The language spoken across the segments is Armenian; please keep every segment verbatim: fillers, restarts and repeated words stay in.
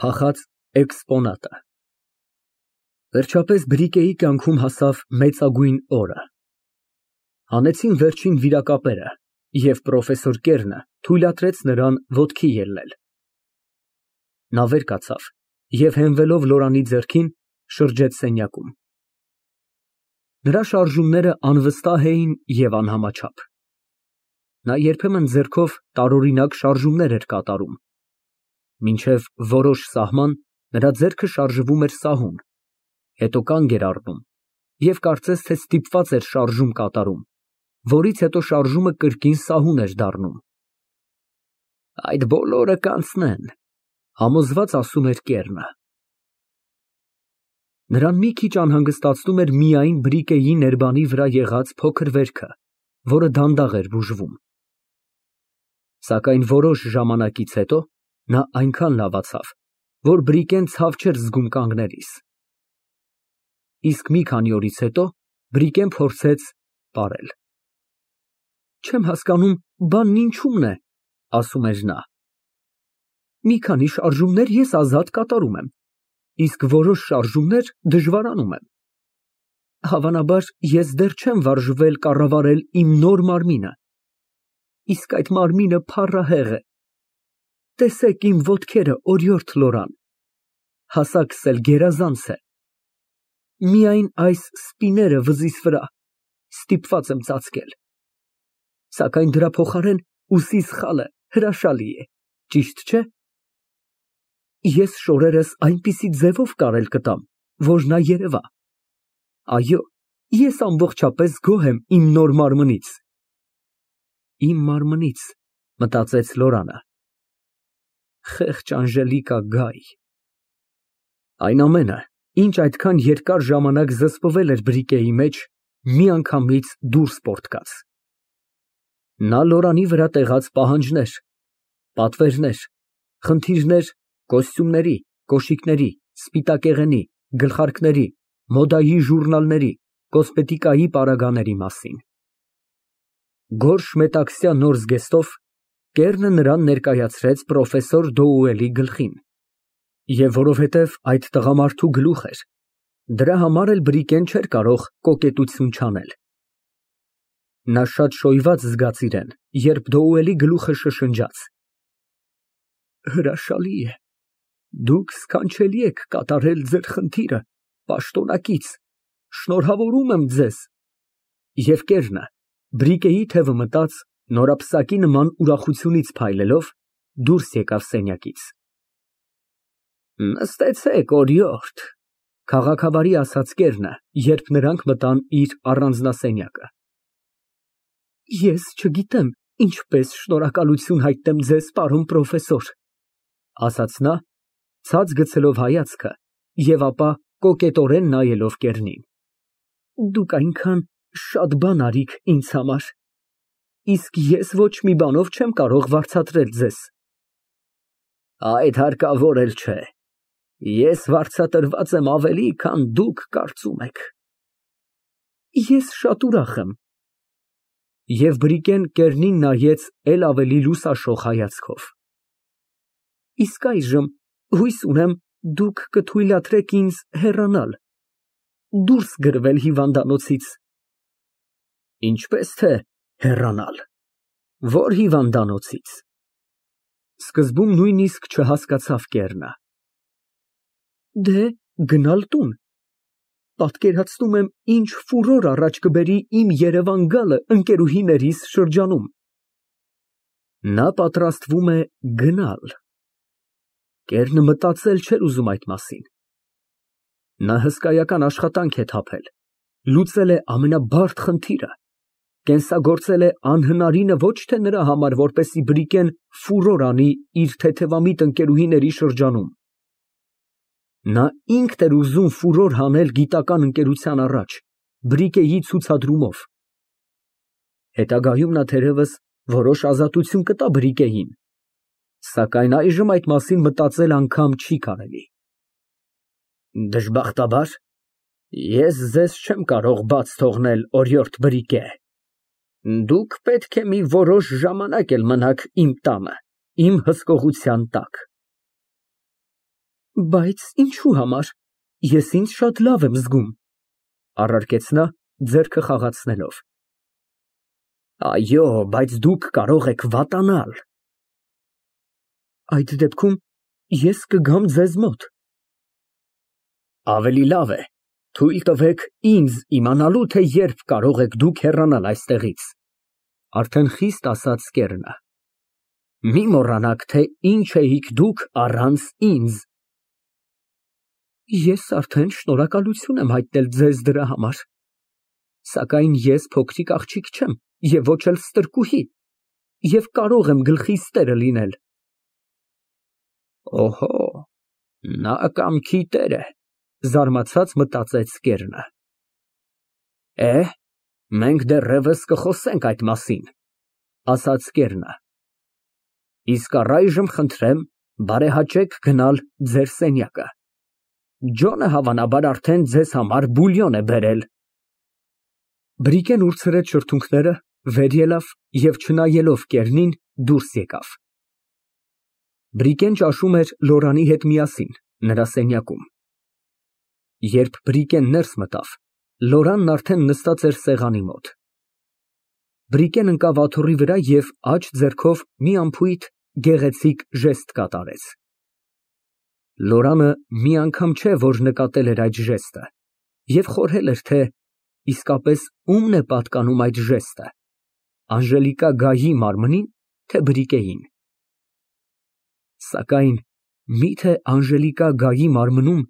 Փախած էքսպոնատը։ Վերջապես Բրիկեի կյանքում հասավ մեծագույն օրը։ Հանեցին վերջին վիրակապերը, և պրոֆեսոր Կերնը թույլատրեց նրան ոտքի ելնել։ Նա վեր կացավ և հենվելով Լորանի ձեռքին, շրջեց սենյակում։ Նրա շարժումները անվստահ էին և անհամաչափ։ Նա երբեմն ձեռքով տարօրինակ շարժումներ էր կատարում, մինչև որոշ սահման նրա ձեռքը շարժվում էր սահուն, հետո կանգ էր առնում և կարծես թե ստիպված էր շարժում կատարում, որից հետո շարժումը կրկին սահուն էր դառնում։ Այդ բոլորը կանցնեն, համոզված ասում էր Կերնը։ Նրան մի քիչ անհանգստացնում էր միայն Բրիկեի ներբանի վրա եղած փոքր վերքը, որը դանդաղ էր բուժվում։ Սակայն որոշ ժամանակից հետո նա այնքան լավացավ, որ Բրիկեն ցավ չէր զգում կանգնելիս։ Իսկ մի քանի օրից հետո Բրիկեն փորձեց պարել։ Չեմ հասկանում, բանն ինչումն է, ասում էր նա։ Մի քանի շարժումներ ես ազատ կատարում եմ, իսկ որոշ շարժումներ դժվարանում եմ։ Հավանաբար, ես դեռ չեմ վարժվել կառավարել իմ նոր մարմինը, իսկ այդ մարմինը փառահեղ է։ Տեսեք իմ ոտքերը, օրիորդ Լորան, հասակս էլ գերազանց է։ Միայն այս սպիները վզիս վրա ստիպված եմ ծածկել, սակայն դրա փոխարեն ուսիս խալը հրաշալի է, ճիշտ չէ՞։ Ես շորերս այնպիսի ձևով կարել կտամ, որ նա երևա։ Այո, ես ամբողջապես գոհ եմ իմ նոր մարմնից։ Իմ մարմնից, մտածեց Լորանը։ Խեղճ Անժելիկա Գայ։ Այն ամենը, ինչ այդքան երկար ժամանակ զսպվել էր Բրիկեի մեջ, միանգամից դուրս պոռթկաց։ Նա Լորանի վրա տեղած պահանջներ, պատվերներ, խնդիրներ կոստյումների, կոշիկների, սպիտակեղենի, գլխարկների, մոդայի ժուրնալների, կոսմետիկայի պարագաների մասին։ Գորշ մետաքսյա նոր զգեստով Կերնը նրան ներկայացրեց պրոֆեսոր Դոուելի գլխին, և որովհետև այդ տղամարդու գլուխ էր, դրա համար էլ Բրիկեն չէր կարող կոկետություն չանել։ Նա շատ շոյված զգաց իրեն, երբ Դոուելի գլուխը շշնջաց. Հրաշալի է, դուք սքանչելի եք կատարել ձեր խնդիրը պաշտոնակից, շնորհավորում եմ ձեզ։ Եվ Կերնը, Բրիկեի թևը մտած, նորապսակի նման ուրախությունից փայլելով, դուրս եկավ սենյակից։ Նստեցեք, օրիորդ, քաղաքավարի ասաց Կերնը, երբ նրանք մտան իր առանձնասենյակը։ Ես չգիտեմ ինչպես շնորհակալություն հայտնեմ ձեզ, պարոն պրոֆեսոր, ասաց նա, ցած գցելով հայացքը և ապա կոկետորեն նայելով Կերնին։ Դուք այնքան շատ բան արիք ինձ համար, իսկ ես ոչ մի բանով չեմ կարող վարձատրել ձեզ։ Այդ հարկավոր էլ չէ, ես վարձատրված եմ ավելի, քան դուք կարծում եք։ Ես շատ ուրախ եմ։ Եվ Բրիկեն Կերնին նայեց էլ ավելի լուսաշող հայացքով։ Իսկ այժմ հույս ունեմ, դուք կթույլատրեք ինձ հեռանալ, դուրս գրվել հիվանդանոցից։ Ինչպես թե հեռանալ, ո՞ր հիվանդանոցից։ Սկզբում նույնիսկ չհասկացավ Կերնը։ Դե, գնալ տուն։ Պատկերացնում եմ, ինչ ֆուրոր առաջ կբերի իմ Երևան գալը ընկերուհիներիս շրջանում։ Նա պատրաստվում է գնալ։ Կերնը մտածել չէր ուզում այդ մասին։ Նա հսկայական աշխատանք է թափել, լուծել է ամենաբարդ խնդիրը, կենսագործել է անհնարինը ոչ թե նրա համար, որպեսզի Բրիկեն ֆուրոր անի իր թեթևամիտ ընկերուհիների շրջանում։ Նա ինքն էր ուզում ֆուրոր հանել գիտական ընկերության առաջ, Բրիկեի ցուցադրումով։ Հետագայում նա թերևս որոշ ազատություն կտա Բրիկեին, սակայն այժմ այդ մասին մտածել անգամ չի կարելի։ Դժբախտաբար, ես ձեզ չեմ կարող բաց թողնել, օրիորդ Բրիկե։ Դուք պետք է մի որոշ ժամանակ էլ մնաք իմ տանը, իմ հսկողության տակ։ Բայց ինչու համար, ես ինձ շատ լավ եմ զգում, առարկեց նա, ձեռքը խաղացնելով։ Այո, բայց դուք կարող եք վատանալ։ Այդ դեպքում ես կգամ ձեզ մոտ։ Ավելի լավ է, թույլ տվեք ինձ իմանալու, թե երբ կարող եք դուք հեռանալ այստեղից, արդեն խիստ ասաց կեռնը։ Մի մոռանաք, թե ինչ էիք դուք առանց ինձ։ Ես արդեն շնորհակալություն եմ հայտնել ձեզ դրա համար, սակայն ես փոքրիկ աղջիկ չեմ և ոչ էլ ստրկուհի և կարող եմ գլխիս տերը լինել։ Օհո, նա կամքի տեր է, զարմացած մտածեց կեռնը։ Է, մենք դեռևս կխոսենք այդ մասին, ասաց կեռնը։ Իսկ առայժմ խնդրեմ բարեհաճեք գնալ ձեր սենյակը։ Ջոնը հավանաբար արդեն ձեզ համար բուլյոն է բերել։ Բրիկեն ուրցրեց շրթունքները, վեր ելավ և չնայելով կեռնին դուրս եկավ։ Բրիկեն ճաշում էր Լորանի հետ միասին, նրա սենյակում։ Երբ Բրիկեն ներս մտավ, Լորանն արդեն նստած էր սեղանի մոտ։ Բրիկեն ընկավ աթոռի վրա և աջ ձեռքով մի անփույթ գեղեցիկ ժեստ կատարեց։ Լորանը մի անգամ չէ, որ նկատել էր այդ ժեստը և խորհել էր, թե իսկապես ո՞ւմն է պատկանում այդ ժեստը, Անժելիկա Գայի մարմնի՞ն, թե Բրիկեին։ Սակայն մի՞թե Անժելիկա Գայի մարմնում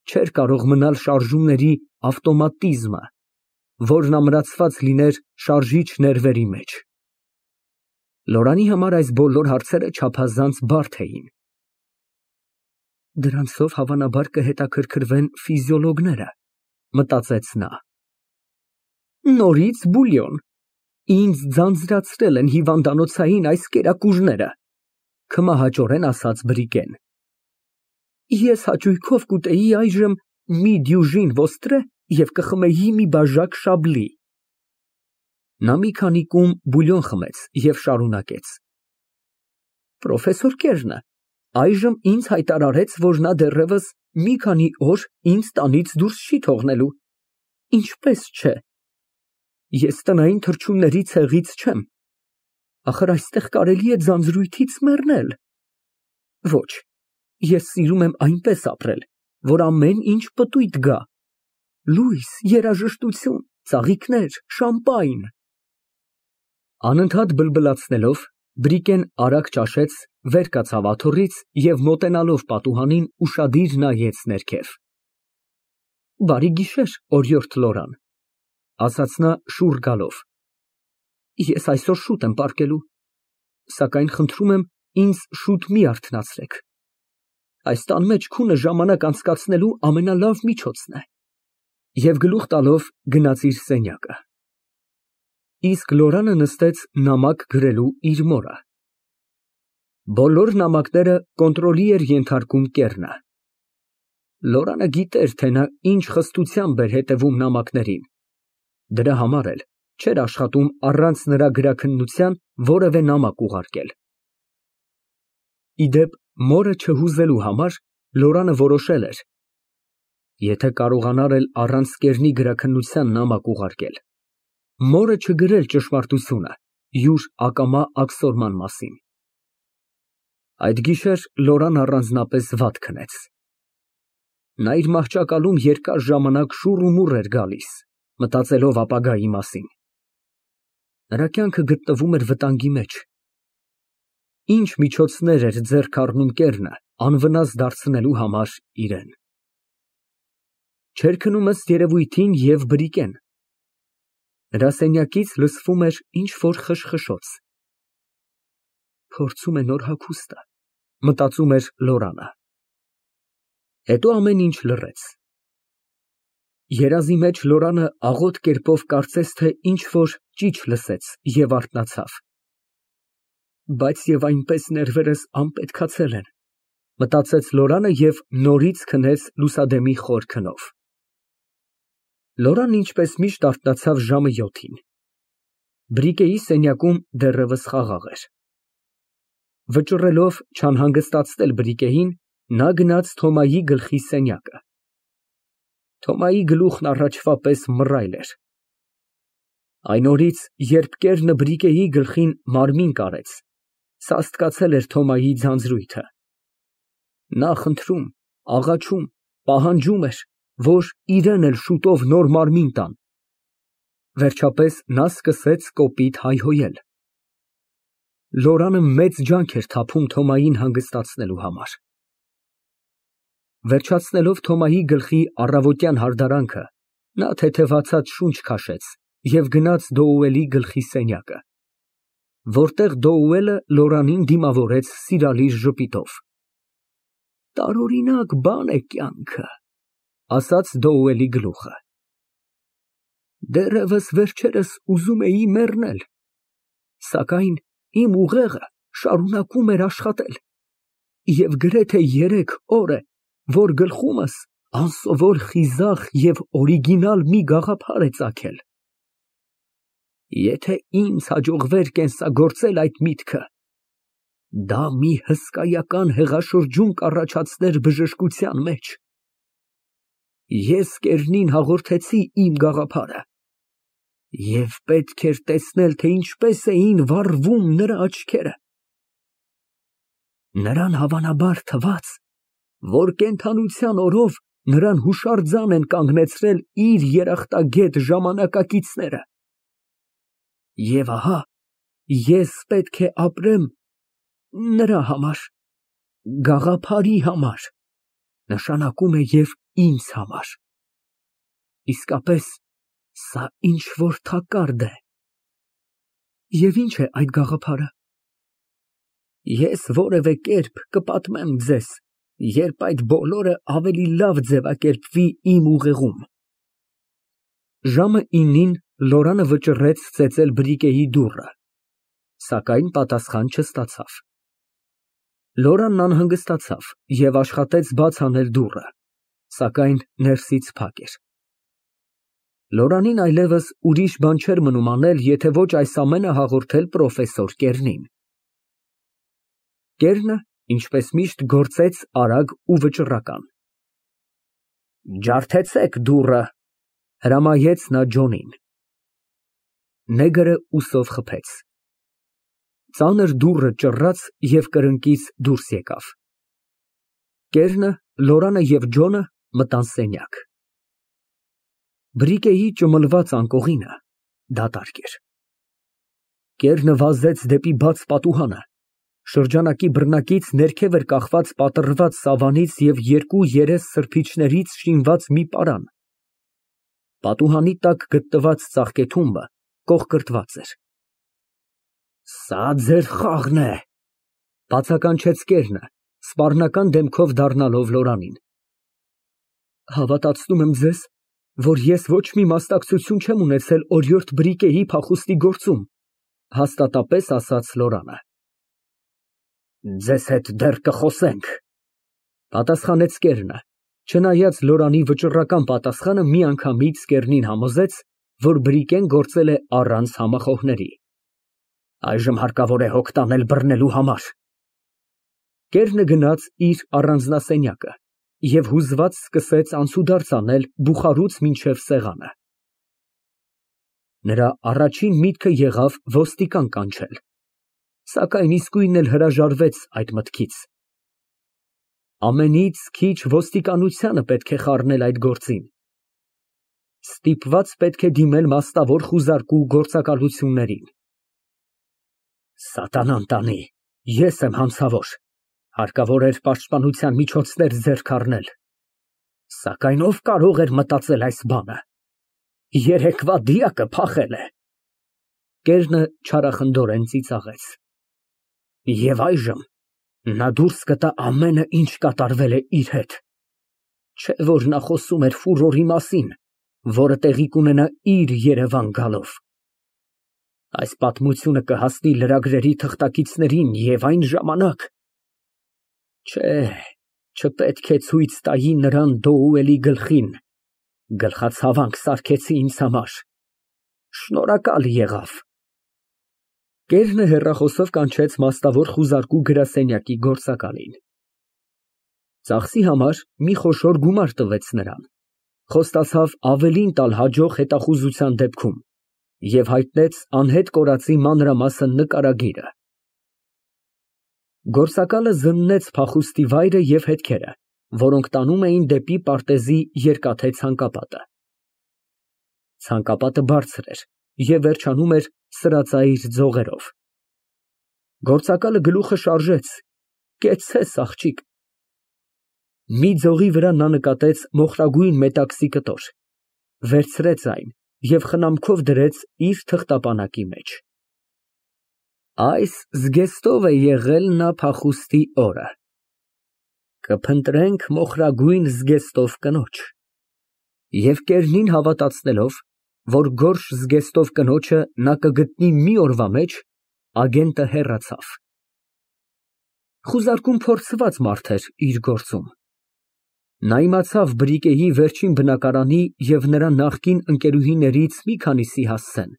չէր կարող մնալ շարժումների ավտոմատիզմը, որն ամրացված լիներ շարժիչ ներվերի մեջ։ Լորանի համար այս բոլոր հարցերը չափազանց բարդ էին։ Դրանցով հավանաբար կհետաքրքրվեն ֆիզիոլոգները, մտածեց նա։ Նորից բուլյոն։ Ինձ ձանձրացրել են հիվանդանոցային այս կերակուրները, քմահաճորեն ասաց Բրիկեն։ Ես հաճույքով կուտեի այժմ մի դյուժին ոստրե և կխմեի մի բաժակ շաբլի։ Նա մի քանի կում բուլյոն խմեց և շարունակեց. Պրոֆեսոր Կեռնը այժմ ինձ հայտարարեց, որ նա դեռևս մի քանի օր ինձ տանից դուրս չի թողնելու։ Ինչպես չէ։ Ես տնային թռչունների ցեղից չեմ։ Ախր այստեղ կարելի է ձանձրույթից մեռնել։ Ոչ, ես սիրում եմ այնպես ապրել, որ ամեն ինչ պտույտ գա։ Լույս, երաժշտություն, ծաղիկներ, շամպայն։ Անընդհատ բլբլացնելով, Բրիկեն արագ ճաշեց, վեր կացավ աթոռից և մոտենալով պատուհանին ուշադիր նայեց ներքև։ Բարի գիշեր, օրիորդ Լորան, ասաց նա շուռ գալով։ Ես այսօր շուտ եմ պառկելու, սակայն խնդրում եմ ինձ շուտ մի արթնացրեք։ Այս տան մեջ քունը ժամանակ անցկացնելու ամենալավ միջոցն է։ Եվ գլուխ տալով գնաց իր սենյակը։ Իսկ Լորանը նստեց նամակ գրելու իր մորը։ Բոլոր նամակները կոնտրոլի էր ենթարկում կեռնը։ Լորանը գիտեր, թե նա ինչ խստությամբ էր հետևում նամակներին, դրա համար էլ չէր աշխատում առանց նրա գրաքննության որևէ նամակ ուղարկել։ Ի դեպ, մորը չհուզելու համար Լորանը որոշել էր, եթե կարողանար էլ առանց կեռնի գրաքննության նամակ ուղարկել, մորը չգրել ճշմարտությունը յուր ակամա աքսորման մասին։ Այդ գիշեր Լորան առանձնապես վատ քնեց։ Նա իր մահճակալում երկար ժամանակ շուռ ու մուռ էր գալիս, մտածելով ապագայի մասին։ Նրա կյանքը գտնվում էր վտանգի մեջ։ Ինչ միջոցներ էր ձեռք առնում կեռնը անվնաս դարձնելու համար իրեն։ Չէր քնում ըստ երևույթին և Բրիկեն։ Նրա սենյակից լսվում էր ինչ֊որ խշխշոց։ Փորձում է նոր հագուստը, մտածում էր Լորանը։ Հետո ամեն ինչ լռեց։ Երազի մեջ Լորանը աղոտ կերպով կարծես թե ինչ֊որ ճիչ լսեց և արթնացավ։ Բայց և այնպես ներվերս անպետքացել են, մտածեց Լորանը և նորից քնեց լուսադեմի խոր քնով։ Լորանն ինչպես միշտ արթնացավ ժամը յոթին։ Բրիկեի սենյակում դեռևս խաղաղ էր։ Վճռելով չանհանգստացնել Բրիկեին, Նա գնաց Թոմայի գլխի սենյակը։ Թոմայի գլուխն առաջվա պես մռայլ էր։ Այն օրից, երբ կեռը Բրիկեի գլխին մարմին կարեց, սաստկացել էր Թոմայի ձանձրույթը։ Նա խնդրում, աղաչում, պահանջում էր, որ իրեն էլ շուտով նոր մարմին տան։ Վերջապես նա սկսեց կոպիտ հայհոյել։ Լորանը մեծ ջանք էր թափում Թոմային հանգստացնելու համար։ Վերջացնելով Թոմայի գլխի առավոտյան հարդարանքը, նա թեթևացած շունչ քաշեց և գնաց Դոուելի գլխի սենյակը, որտեղ Դոուելը Լորանին դիմավորեց սիրալիր ժպիտով։ Տարօրինակ բան է կյանքը, ասաց Դոուելի գլուխը։ Դեռևս վերջերս ուզում էի մեռնել, սակայն իմ ուղեղը շարունակում էր աշխատել, և գրեթե երեք օր է, որ գլխումս անսովոր խիզախ և օրիգինալ մի գաղափար է ծագել։ Եթե ինձ հաջողվեր կենսագործել այդ միտքը, դա մի հսկայական հեղաշրջում կառաջացներ բժշկության մեջ։ Ես կեռնին հաղորդեցի իմ գաղափարը, և պետք էր տեսնել, թե ինչպես էին վառվում նրա աչքերը։ Նրան հավանաբար թվաց, որ կենդանության օրով նրան հուշարձան են կանգնեցրել իր երախտագետ ժամանակակիցները։ Եվ ահա ես պետք է ապրեմ նրա համար, գաղափարի համար, նշանակում է և ինձ համար։ Իսկապես, սա ինչ֊որ թակարդ է։ Եվ ինչ է այդ գաղափարը։ Ես որևէ կերպ կպատմեմ ձեզ, երբ այդ բոլորը ավելի լավ ձևակերպվի իմ ուղեղում։ Ժամը իննին Լորանը վճռեց ծեծել Բրիկեի դուռը, սակայն պատասխան չստացավ։ Լորանն անհանգստացավ և աշխատեց բաց անել դուռը, սակայն ներսից փակ էր։ Լորանին այլևս ուրիշ բան չէր մնում անել, եթե ոչ այս ամենը հաղորդել պրոֆեսոր Կեռնին։ Կեռնը, ինչպես միշտ, գործեց արագ ու վճռական։ Ջարդեցեք դուռը, հրամայեց նա Ջոնին։ Նեգրը ուսով խփեց։ Ծանր դուռը ճռռաց և կրկնակից դուրս եկավ։ Կեռնը, Լորանը և Ջոնը մտան սենյակ։ Բրիկեի ճմլված անկողինը դատարկ էր։ Կեռնը վազեց դեպի բաց պատուհանը, շրջանակի բռնակից ներքև էր կախված պատռված սավանից և երկու երես սրբիչներից շինված մի պարան։ Պատուհանի տակ գտնված ծաղկեթումբը կողկրտված էր։ Սա ձեր խաղն է, բացականչեց Կեռնը, սպառնական դեմքով դառնալով Լորանին։ Հավատացնում եմ ձեզ, որ ես ոչ մի մասնակցություն չեմ ունեցել օրիորդ Բրիկեի փախուստի գործում, հաստատապես ասաց Լորանը։ Ձեզ հետ դեռ կխոսենք, պատասխանեց Կեռնը, չնայած Լորանի վճռական պատասխանը միանգամից Կեռնին համոզեց, որ Բրիկեն գործել է առանց համախոհների։ Այժմ հարկավոր է հոգ տանել բռնելու համար։ Կեռնը գնաց իր առանձնասենյակը և հուզված սկսեց անցուդարձ անել բուխարուց մինչև սեղանը։ Նրա առաջին միտքը եղավ ոստիկան կանչել, սակայն իսկույն էլ հրաժարվեց այդ մտքից։ Ամենից քիչ ոստիկանությանը պետք է խառնել այդ գործին։ Ստիպված պետք է դիմել մասնավոր խուզարկու գործակալություններին։ Սատանան տանի, ես եմ հանցավոր, հարկավոր էր պաշտպանության միջոցներ ձեռք առնել, սակայն ով կարող էր մտածել այս բանը։ Երեկվա դիակը փախել է։ Կեռնը չարախնդորեն ծիծաղեց։ Եվ այժմ նա դուրս կտա ամենը, ինչ կատարվել է իր հետ։ Չէ որ նա խոսում էր ֆուրորի մասին, որը տեղի կունենա իր Երևան գալով։ Այս պատմությունը կհասնի լրագրերի թղթակիցներին և այն ժամանակ… Չէ, չպետք է ցույց տայի նրան Դոուելի գլխին, գլխացավանք սարքեցի ինձ համար, շնորհակալ եղավ։ Կեռնը հեռախոսով կանչեց մասնավոր խուզարկու գրասենյակի գործակալին։ Ծախսի համար մի խոշոր գումար տվեց նրան, խոստացավ ավելին տալ հաջող հետախուզության դեպքում և հայտնեց անհետ կորածի մանրամասն նկարագիրը։ Գործակալը զննեց փախուստի վայրը և հետքերը, որոնք տանում էին դեպի պարտեզի երկաթե ցանկապատը։ Ցանկապատը բարձր էր և վերջանում էր սրածայր ձողերով։ Գործակալը գլուխը շարժեց. «Կեցցես, աղջիկ»։ Մի ձողի վրա նա նկատեց մոխրագույն մետաքսի կտոր, վերցրեց այն և խնամքով դրեց իր թղթապանակի մեջ։ Այս զգեստով է եղել նա փախուստի օրը։ Կփնտրենք մոխրագույն զգեստով կնոջ։ Եվ կերնին հավատացնելով, որ գորշ զգեստով կնոջը նա կգտնի մի օրվա մեջ, ագենտը հեռացավ։ Խուզարկուն փորձված մարդ էր իր գործում։ Նա իմացավ Բրիկեի վերջին բնակարանի և նրա նախկին ընկերուհիներից մի քանիսի հասցեն։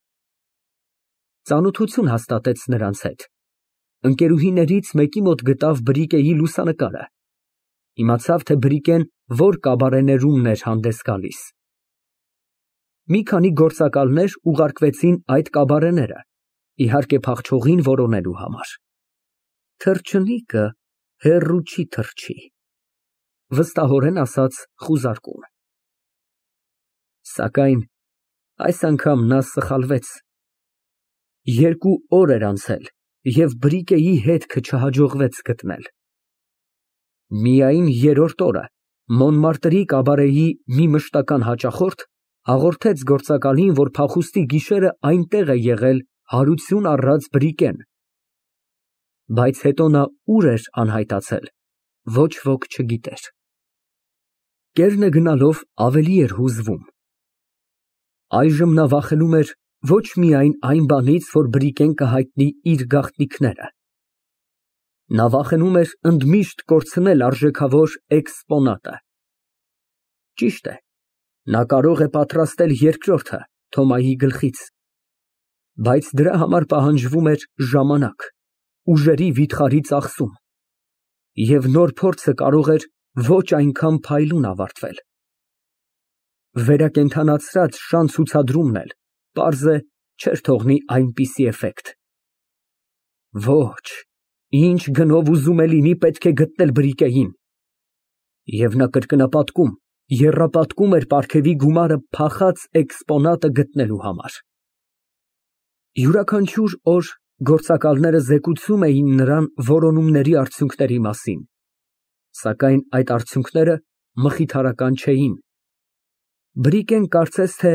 Ծանոթություն հաստատեց նրանց հետ, ընկերուհիներից մեկի մոտ գտավ Բրիկեի լուսանկարը, իմացավ, թե Բրիկեն որ կաբարեներումն էր հանդես գալիս։ Մի քանի գործակալներ ուղարկվեցին այդ կաբարեները, իհարկե փախչողին որոնելու համար։ Թռչնիկը հեռու չի թռչի, վստահորեն ասաց խուզարկուն։ Սակայն այս անգամ նա սխալվեց։ Երկու օր էր անցել, և Բրիկեի հետքը չհաջողվեց գտնել։ Միայն երրորդ օրը Մոնմարտրի կաբարեի մի մշտական հաճախորդ հաղորդեց գործակալին, որ փախուստի գիշերը այնտեղ է եղել հարություն առած Բրիկեն, բայց հետո նա ուր էր անհայտացել, ոչ ոք չգիտեր։ Կերնը գնալով ավելի էր հուզվում։ Այժմ նա վախենում էր ոչ միայն այն բանից, որ Բրիկեն կհայտնի իր գաղտնիքները։ Նա վախենում էր ընդմիշտ կորցնել արժեքավոր էքսպոնատը։ Ճիշտ է, նա կարող է պատրաստել երկրորդը Թոմայի գլխից, բայց դրա համար պահանջվում էր ժամանակ, ուժերի վիթխարի ծախսում, և նոր փորձը կարող էր ոչ այնքան փայլուն ավարտվել։ Վերակենդանացրած շան ցուցադրումն էլ, պարզ է, չէր թողնի այնպիսի էֆեկտ։ Ոչ, ինչ գնով ուզում է լինի, պետք է գտնել Բրիկեին։ Եվ նա կրկնապատկում, եռապատկում էր պարգևի գումարը փախած էքսպոնատը գտնելու համար։ Յուրաքանչյուր օր գործակալները զեկուցում էին նրան որոնումների արդյունքների մասին, սակայն այդ արդյունքները մխիթարական չէին։ Բրիկեն կարծես թե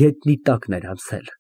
գետնի տակն էր անցել։